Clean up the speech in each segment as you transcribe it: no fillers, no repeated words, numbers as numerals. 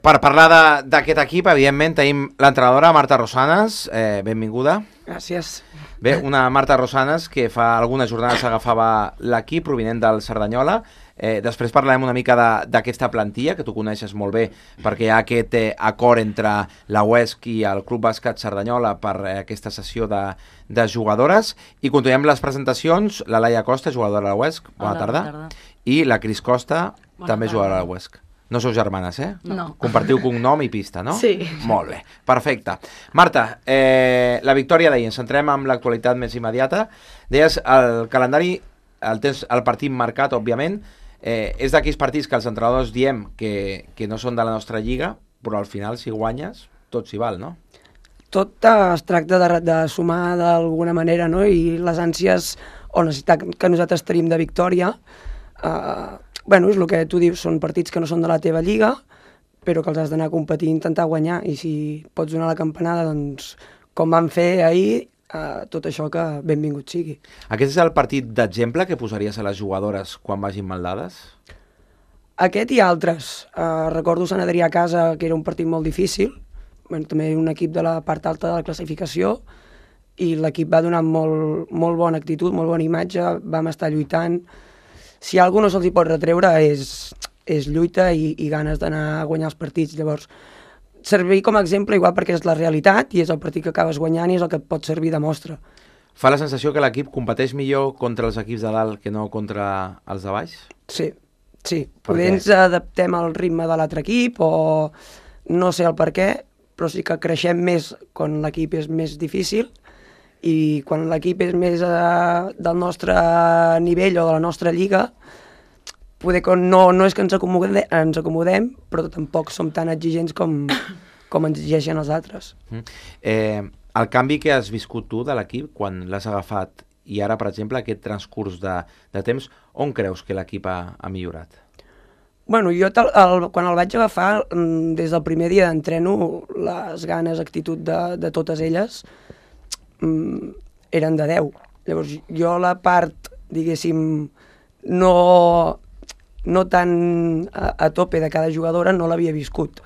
Per parlar d'aquest equip, evidentment, tenim l'entrenadora Marta Rosanes. Benvinguda. Gràcies. Bé, una Marta Rosanes que fa algunes jornades agafava l'equip provinent del Cerdanyola. Després parlarem una mica d'aquesta plantilla, que tu coneixes molt bé, perquè hi ha aquest acord entre la UESC i el Club Bàsquet Cerdanyola per aquesta sessió de jugadores. I continuem les presentacions. La Laia Costa, jugadora de la UESC. Bona tarda. I la Cris Costa, també jugadora de la UESC. No sou germanes, eh? No. Compartiu cognom i pista, no? Sí. Molt bé, perfecte. Marta, la victòria d'ahir, ens centrem en l'actualitat més immediata. Deies, el calendari, el partit marcat, òbviament, és d'aquells partits que els entrenadors diem que no són de la nostra lliga, però al final, si guanyes, tot s'hi val, no? Tot es tracta de sumar d'alguna manera, no? I les ànsies o necessitat que nosaltres tenim de victòria, és el que tu dius, són partits que no són de la teva lliga, però que els has d'anar a competir i intentar guanyar, i si pots donar la campanada, doncs, com van fer ahir, tot això que benvingut sigui. Aquest és el partit d'exemple que posaries a les jugadores quan vagin maldades? Aquest i altres. Recordo Sant Adrià a casa, que era un partit molt difícil, també un equip de la part alta de la classificació, i l'equip va donar molt bona actitud, molt bona imatge, vam estar lluitant. Si algú no se'ls hi pot retreure és lluita i ganes d'anar a guanyar els partits. Llavors, servir com a exemple igual perquè és la realitat i és el partit que acabes guanyant i és el que et pot servir de mostra. Fa la sensació que l'equip competeix millor contra els equips de dalt que no contra els de baix? Sí. Potser ens adaptem al ritme de l'altre equip o no sé el per què, però sí que creixem més quan l'equip és més difícil, i quan l'equip és més del nostre nivell o de la nostra lliga, poder que no és que ens acomodem, però tampoc som tan exigents com ens exigeixen els altres. El canvi que has viscut tu de l'equip quan l'has agafat i ara, per exemple, aquest transcurs de temps, on creus que l'equip ha millorat? Jo quan el vaig agafar, des del primer dia d'entreno, les ganes, actitud de totes elles eren de 10. Llavors, jo la part, diguéssim, no tan a tope de cada jugadora no l'havia viscut.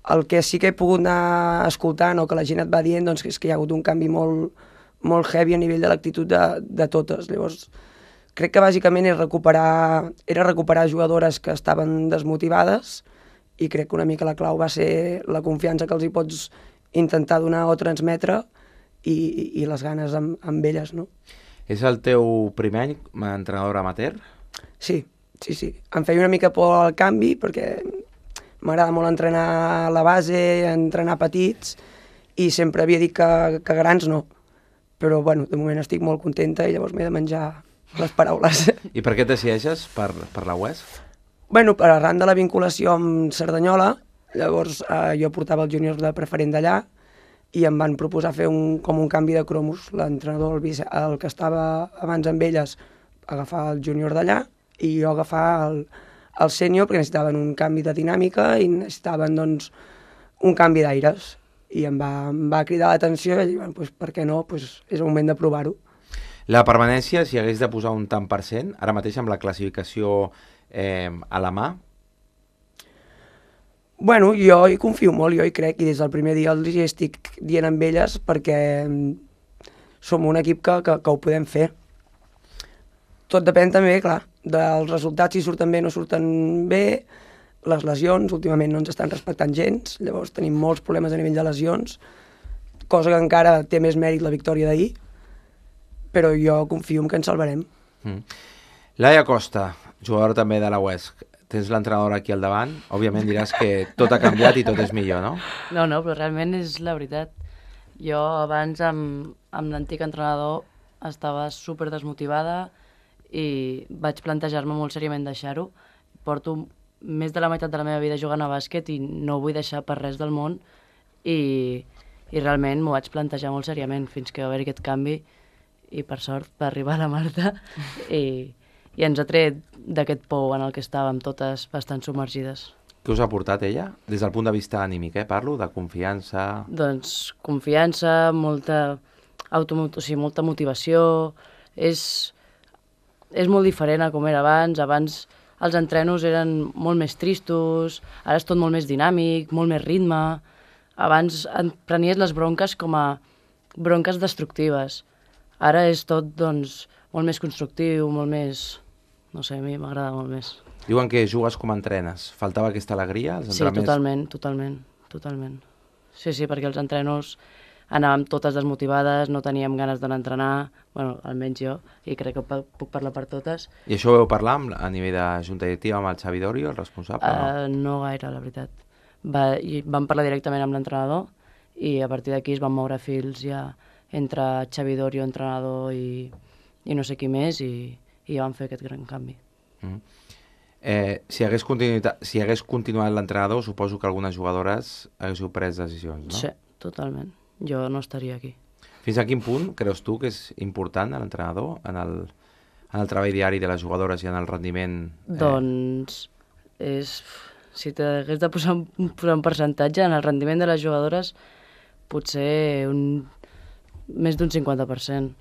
El que sí que he pogut anar escoltant o que la gent et va dient, doncs, és que hi ha hagut un canvi molt heavy a nivell de l'actitud de totes. Llavors, crec que bàsicament era recuperar jugadores que estaven desmotivades, i crec que una mica la clau va ser la confiança que els hi pots intentar donar o transmetre i les ganes amb elles, no? És el teu primer any com a entrenadora amateur? Sí. Em feia una mica por al canvi perquè m'agrada molt entrenar a la base, entrenar petits, i sempre havia dit que grans no. Però, de moment estic molt contenta i llavors m'he de menjar les paraules. I per què et decideixes per la UESC? Per arran de la vinculació amb Cerdanyola, llavors jo portava els júniors de preferent d'allà i em van proposar fer com un canvi de cromos. L'entrenador, el que estava abans amb elles, agafar el júnior d'allà i jo agafar el sènior, perquè necessitaven un canvi de dinàmica i necessitaven, doncs, un canvi d'aires. I em va cridar l'atenció i vaig dir, per què no? És el moment de provar-ho. La permanència, si hagués de posar un tant per cent, ara mateix amb la classificació a la mà? Jo hi confio molt, jo hi crec, i des del primer dia els hi estic dient amb elles perquè som un equip que ho podem fer. Tot depèn també, clar, dels resultats, si surten bé o no surten bé, les lesions, últimament no ens estan respectant gens, llavors tenim molts problemes a nivell de lesions, cosa que encara té més mèrit la victòria d'ahir, però jo confio en que ens salvarem. Laia Costa, jugadora també de la UESC, tens l'entrenadora aquí al davant, òbviament diràs que tot ha canviat i tot és millor, no? No, però realment és la veritat. Jo abans amb l'antic entrenador estava super desmotivada i vaig plantejar-me molt seriament deixar-ho. Porto més de la meitat de la meva vida jugant a bàsquet i no ho vull deixar per res del món, i realment m'ho vaig plantejar molt seriament fins que va haver aquest canvi, i per sort va arribar la Marta i ens ha tret d'aquest pou en el que estàvem totes bastant submergides. Què us ha portat ella? Des del punt de vista anímic, parlo, de confiança... Doncs confiança, molta motivació, és molt diferent a com era abans. Abans els entrenos eren molt més tristos, ara és tot molt més dinàmic, molt més ritme. Abans prenies les bronques com a bronques destructives. Ara és tot, doncs, molt més constructiu, molt més... No sé, a mi m'agrada molt més. Diuen que jugues com entrenes. Faltava aquesta alegria? Sí, totalment. Sí, perquè els entrenos anàvem totes desmotivades, no teníem ganes d'anar a entrenar, bueno, almenys jo, i crec que puc parlar per totes. I això ho vau parlar a nivell de junta directiva amb el Xavi Dorio, el responsable? No gaire, la veritat. Vam parlar directament amb l'entrenador i a partir d'aquí es van moure fils ja entre Xavi Dorio, entrenador i no sé qui més, i ja van fer aquest gran canvi. Si hagués continuat l'entrenador, suposo que algunes jugadores haguéssiu pres decisions, no? Sí, totalment. Jo no estaria aquí. Fins a quin punt creus tu que és important l'entrenador en el treball diari de les jugadores i en el rendiment? Doncs si t'hagués de posar un percentatge, en el rendiment de les jugadores potser més d'un 50%,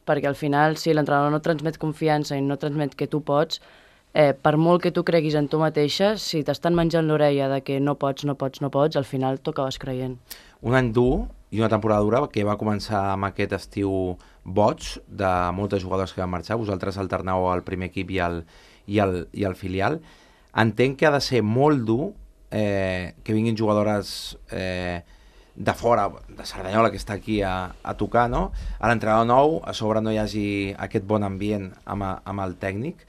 perquè al final si l'entrenador no transmet confiança i no transmet que tu pots, per molt que tu creguis en tu mateixa, si t'estan menjant l'orella de que no pots, al final t'ho acabes creient. Un any dur i una temporada dura que va començar amb aquest estiu boig de moltes jugadores que van marxar. Vosaltres alterneu el primer equip i el filial. Entenc que ha de ser molt dur que vinguin jugadores de fora, de Cerdanyola, que està aquí a tocar, no? A l'entrenador nou, a sobre no hi hagi aquest bon ambient amb el tècnic.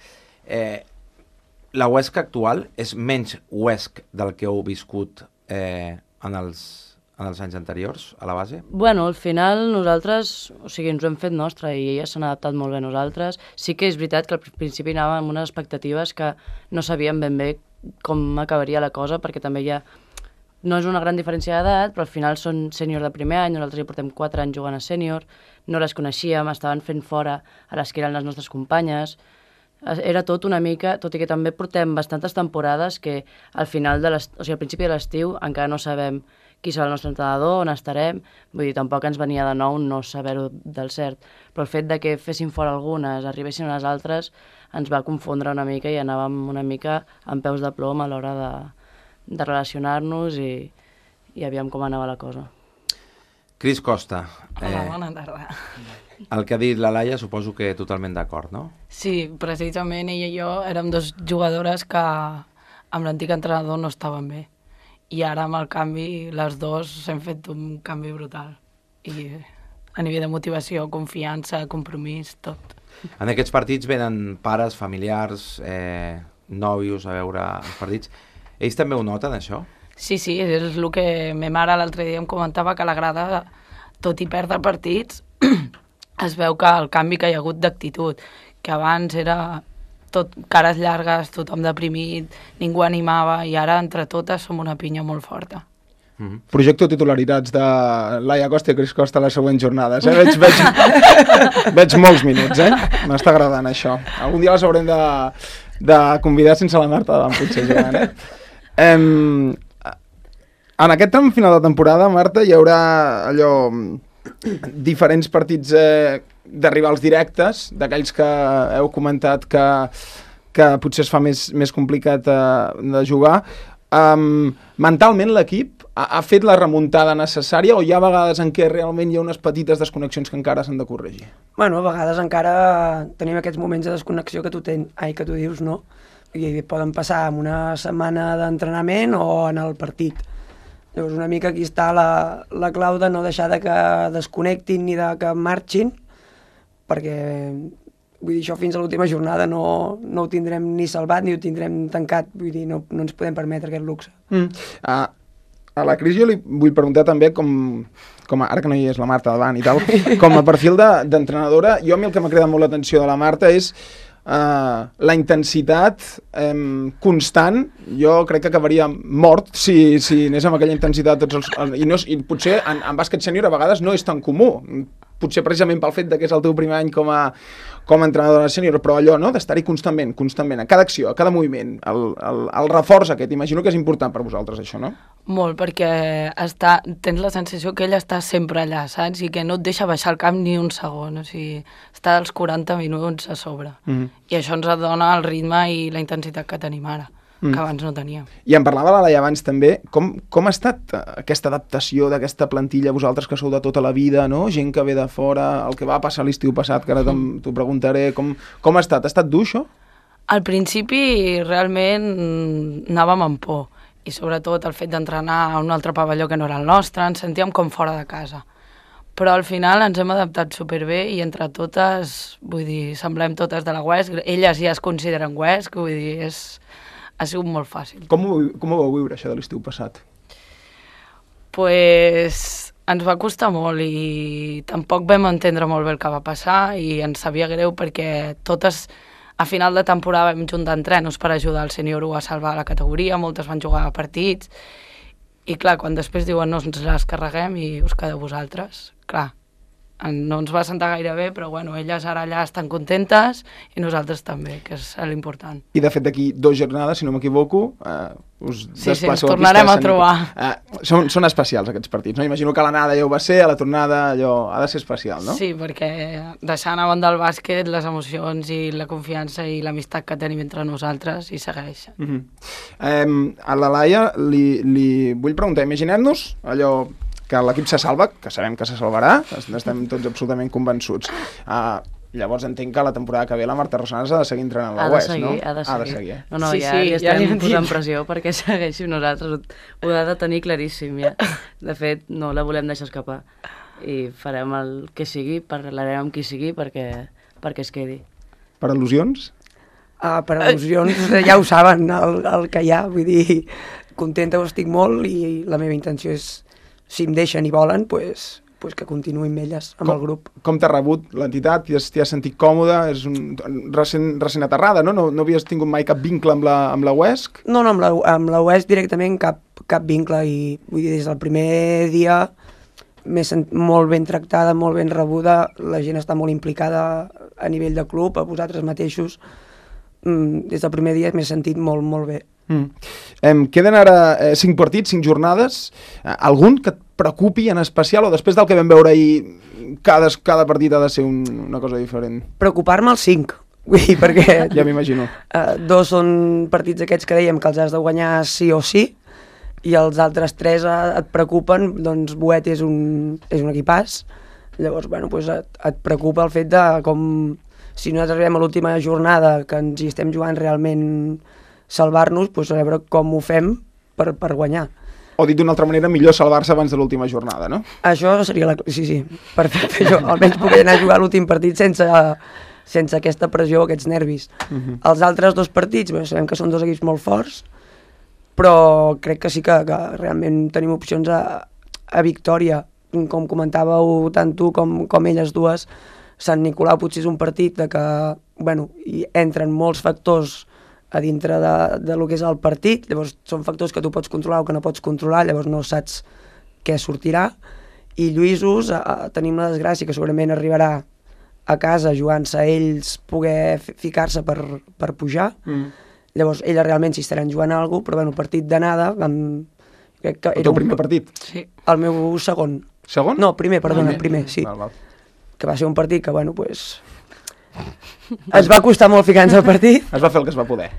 La Huesca actual és menys Huesc del que heu viscut en els anys anteriors, a la base? Bueno, al final nosaltres, ens ho hem fet nostre i elles s'han adaptat molt bé a nosaltres. Sí que és veritat que al principi anàvem amb unes expectatives que no sabíem ben bé com acabaria la cosa, perquè també no és una gran diferència d'edat, però al final són sènior de primer any, nosaltres ja portem 4 anys jugant a sènior, no les coneixíem, estaven fent fora a les que eren les nostres companyes. Era tot una mica, tot i que també portem bastantes temporades que al final al principi de l'estiu encara no sabem qui serà el nostre entrenador, on estarem, vull dir, tampoc ens venia de nou no saber-ho del cert, però el fet de que fessin fora algunes, arribessin unes altres, ens va confondre una mica i anàvem una mica amb peus de plom a l'hora de relacionar-nos i aviam com anava la cosa. Cris Costa. Hola, bona tarda. El que ha dit la Laia suposo que totalment d'acord, no? Sí, precisament ella i jo érem dos jugadores que amb l'antic entrenador no estaven bé. I ara amb el canvi, les dues hem fet un canvi brutal. I a nivell de motivació, confiança, compromís, tot. En aquests partits venen pares, familiars, nòvios a veure els partits. Ells també ho noten, això? Sí, és el que ma mare l'altre dia em comentava, que a la grada, tot i perdre partits, es veu que el canvi que hi ha hagut d'actitud, que abans era tot cares llargues, tothom deprimit, ningú animava, i ara entre totes som una pinya molt forta. Projecto titularitats de Laia Costa i Cris Costa a les següents jornades. Veig molts minuts, M'està agradant això. Algun dia les haurem de convidar sense la Marta davant, potser jugant, En aquest tram final de temporada, Marta, hi haurà diferents partits de rivals directes, d'aquells que heu comentat que potser es fa més complicat de jugar. Mentalment l'equip ha fet la remuntada necessària o hi ha vegades en què realment hi ha unes petites desconnexions que encara s'han de corregir? Bueno, a vegades encara tenim aquests moments de desconnexió que tu dius, no? I poden passar en una setmana d'entrenament o en el partit. Llavors una mica aquí està la clau de no deixar de que desconnectin ni de que marxin, perquè vull dir, això fins a l'última jornada no ho tindrem ni salvat ni ho tindrem tancat, vull dir, no ens podem permetre aquest luxe. A la Cris jo li vull preguntar també com ara que no hi és la Marta davant i tal, com a perfil d'entrenadora, jo a mi el que m'ha cridat molt l'atenció de la Marta és la intensitat constant. Jo crec que acabaria mort si anés amb aquella intensitat i potser en bàsquet sènior a vegades no és tan comú, potser precisament pel fet que és el teu primer any com a entrenadora sènior, però allò, no?, d'estar-hi constantment, a cada acció, a cada moviment, el reforç aquest, imagino que és important per vosaltres això, no? Molt, perquè tens la sensació que ell està sempre allà, saps? I que no et deixa baixar el camp ni un segon, o sigui, està als 40 minuts a sobre. I això ens dona el ritme i la intensitat que tenim ara, que abans no teníem. I en parlava la Laia abans també, com ha estat aquesta adaptació d'aquesta plantilla, vosaltres que sou de tota la vida, no? Gent que ve de fora, el que va passar l'estiu passat, que ara t'ho preguntaré, com ha estat? Ha estat dur, això? Al principi realment anàvem amb por, i sobretot el fet d'entrenar a un altre pavelló que no era el nostre, ens sentíem com fora de casa. Però al final ens hem adaptat superbé i entre totes, vull dir, semblem totes de la UESC, elles ja es consideren UESC, vull dir, ha sigut molt fàcil. Com ho vau viure, això de l'estiu passat? Pues ens va costar molt i tampoc vam entendre molt bé el que va passar i ens sabia greu perquè totes a final de temporada vam juntar entrenos per ajudar el sènior 1 a salvar la categoria, moltes van jugar a partits i clar, quan després diuen no ens les carreguem i us quedeu vosaltres, clar, no ens va sentar gaire bé, però bueno, elles ara allà estan contentes i nosaltres també, que és l'important. I de fet d'aquí 2 jornades, si no m'equivoco, us desplaceu ens tornarem a trobar. Són especials aquests partits, no? Imagino que l'anada ja ho va ser, a la tornada allò ha de ser especial, no? Sí, perquè deixant a banda el bàsquet, les emocions i la confiança i l'amistat que tenim entre nosaltres hi segueix. A la Laia li vull preguntar, imaginem-nos allò que l'equip se salva, que sabem que se salvarà, estem tots absolutament convençuts. Llavors entenc que la temporada que ve la Marta Rosanes ha de seguir entrenant la UESC, no? Ha de seguir. No, sí, ja estem posant pressió perquè segueixi nosaltres. Ho ha de tenir claríssim, ja. De fet, no la volem deixar escapar. I farem el que sigui, parlarem amb qui sigui perquè es quedi. Per al·lusions? Per al·lusions ja ho saben, el que hi ha. Vull dir, contenta ho estic molt i la meva intenció és, si em deixen i volen, pues que continuï amb elles, amb el grup. Com t'ha rebut l'entitat? T'hi has sentit còmode? És recent aterrada, no? No havies tingut mai cap vincle amb la UESC? No, amb la UESC directament cap vincle i vull dir, des del primer dia m'he sentit molt ben tractada, molt ben rebuda, la gent està molt implicada a nivell de club, a vosaltres mateixos. Des del primer dia m'he sentit molt, molt bé. Queden ara 5 partits, 5 jornades. Algun que et preocupi en especial o després del que vam veure ahir cada partit ha de ser una cosa diferent? Preocupar-me els 5, vull dir, perquè ja m'imagino. 2 són partits aquests que dèiem que els has de guanyar sí o sí i els altres 3 et preocupen, doncs Boet és un equipàs, llavors bueno, doncs et preocupa el fet de com si nosaltres arribem a l'última jornada que ens hi estem jugant realment salvar-nos, doncs a veure com ho fem per guanyar. O dit d'una altra manera, millor salvar-se abans de l'última jornada, no? Això seria sí, perfecte. Jo almenys puc anar a jugar l'últim partit sense aquesta pressió, aquests nervis. Els altres 2 partits, bé, sabem que són 2 equips molt forts, però crec que sí que realment tenim opcions a victòria. Com comentàveu tant tu com elles dues, Sant Nicolau potser és un partit de que, bueno, hi entren molts factors a dintre de lo que és el partit, llavors són factors que tu pots controlar o que no pots controlar, llavors no saps què sortirà, i Lluïsos tenim la desgràcia que segurament arribarà a casa jugant-se a ells poder ficar-se per pujar, llavors elles realment s'hi estaran jugant alguna cosa, però bueno, el partit d'anada el teu primer partit? Sí, el meu segon. Segon? No, primer, sí. Val. Que va ser un partit que, bueno, pues ens va costar molt ficar-nos al partit. Es va fer el que es va poder.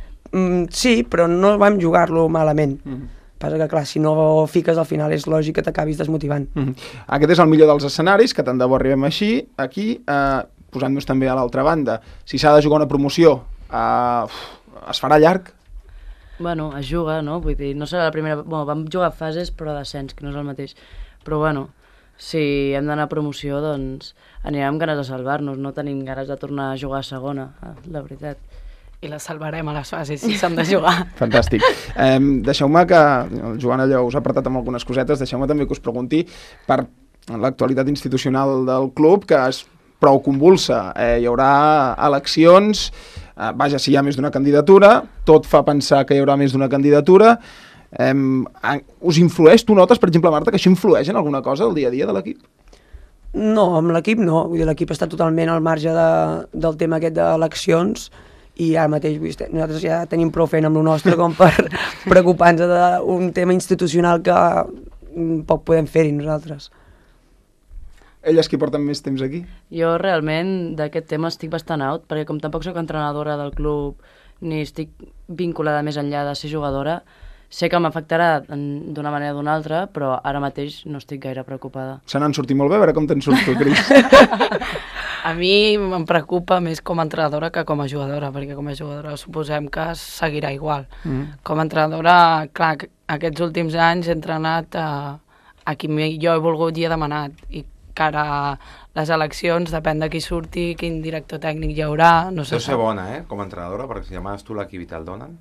Sí, però no vam jugar-lo malament. Passa que, clar, si no fiques al final és lògic que t'acabis desmotivant. Aquest és el millor dels escenaris, que tant de bo arribem així. Aquí, posant-nos també a l'altra banda, si s'ha de jugar una promoció, es farà llarg? Bueno, es juga, no? Vull dir, no serà la primera... Bueno, vam jugar fases, però descens, que no és el mateix. Però, bueno, si hem d'anar a promoció, doncs anirem amb ganes de salvar-nos, no tenim ganes de tornar a jugar a segona, la veritat. I la salvarem a les fases si s'han de jugar. Fantàstic. Deixeu-me que, el Joan allò us ha apretat amb algunes cosetes, deixeu-me també que us pregunti per l'actualitat institucional del club, que és prou convulsa. Hi haurà eleccions, vaja, si hi ha més d'una candidatura, tot fa pensar que hi haurà més d'una candidatura. Us influeix, tu notes, per exemple, Marta, que això influeix en alguna cosa el dia a dia de l'equip? No, amb l'equip no. Vull dir, l'equip està totalment al marge del tema aquest d'eleccions i ara mateix nosaltres ja tenim prou feina amb el nostre com per preocupar-nos d'un tema institucional que poc podem fer-hi nosaltres. Elles qui porten més temps aquí? Jo realment d'aquest tema estic bastant out, perquè com tampoc sóc entrenadora del club ni estic vinculada més enllà de ser jugadora, sé que m'afectarà d'una manera o d'una altra, però ara mateix no estic gaire preocupada. Se n'han sortit molt bé, a veure com te'n surts tu, Cris. A mi em preocupa més com a entrenadora que com a jugadora, perquè com a jugadora suposem que seguirà igual. Com a entrenadora, clar, aquests últims anys he entrenat a qui jo he volgut i he demanat, i que ara les eleccions depèn de qui surti, quin director tècnic hi haurà, no sé. Deu ser bona, com a entrenadora, perquè si demanes tu l'equip i te'l donen.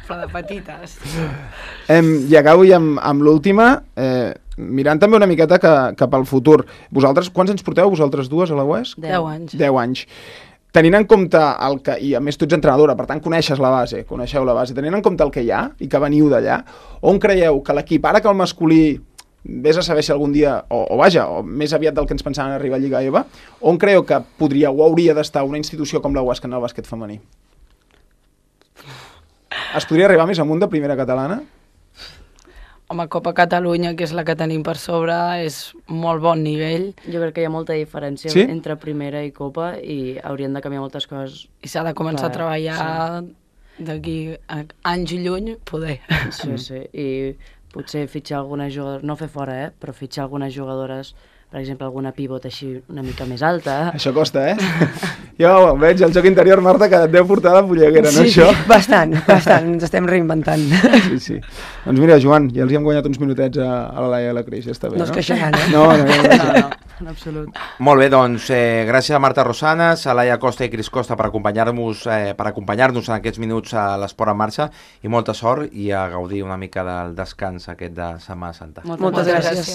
Però de petites. I acabo amb l'última, mirant també una miqueta cap al futur. Vosaltres, quants anys porteu, vosaltres dues, a la UES? 10 anys. 10 anys. Tenint en compte el que, i a més tu ets entrenadora, per tant coneixeu la base, tenint en compte el que hi ha i que veniu d'allà, on creieu que l'equip, ara que el masculí vés a saber si algun dia, o més aviat del que ens pensàvem arribar a Lliga EVA, on creieu que podria o hauria d'estar una institució com la UESC en el bàsquet femení? Es podria arribar més amunt de primera catalana? Home, Copa Catalunya, que és la que tenim per sobre, és molt bon nivell. Jo crec que hi ha molta diferència entre primera i Copa i haurien de canviar moltes coses. I s'ha de començar a treballar d'aquí anys i lluny, poder. Sí, i potser fitxar alguna jugadora, no fer fora, però fitxar algunes jugadores, per exemple, alguna pivot així una mica més alta. Això costa, Jo veig el joc interior, Marta, que et deu portar de polleguera, no, això? Sí, bastant, ens estem reinventant. Sí. Doncs mira, Joan, ja els hi hem guanyat uns minutets a la Laia i a la Cris, ja està bé, no? No es queixaran, No, en absolut. Molt bé, doncs, gràcies a Marta Rosanes, a Laia Costa i Cris Costa per acompanyar-nos en aquests minuts a l'Esport en Marxa, i molta sort i a gaudir una mica del descans aquest de Setmana Santa. Moltes gràcies.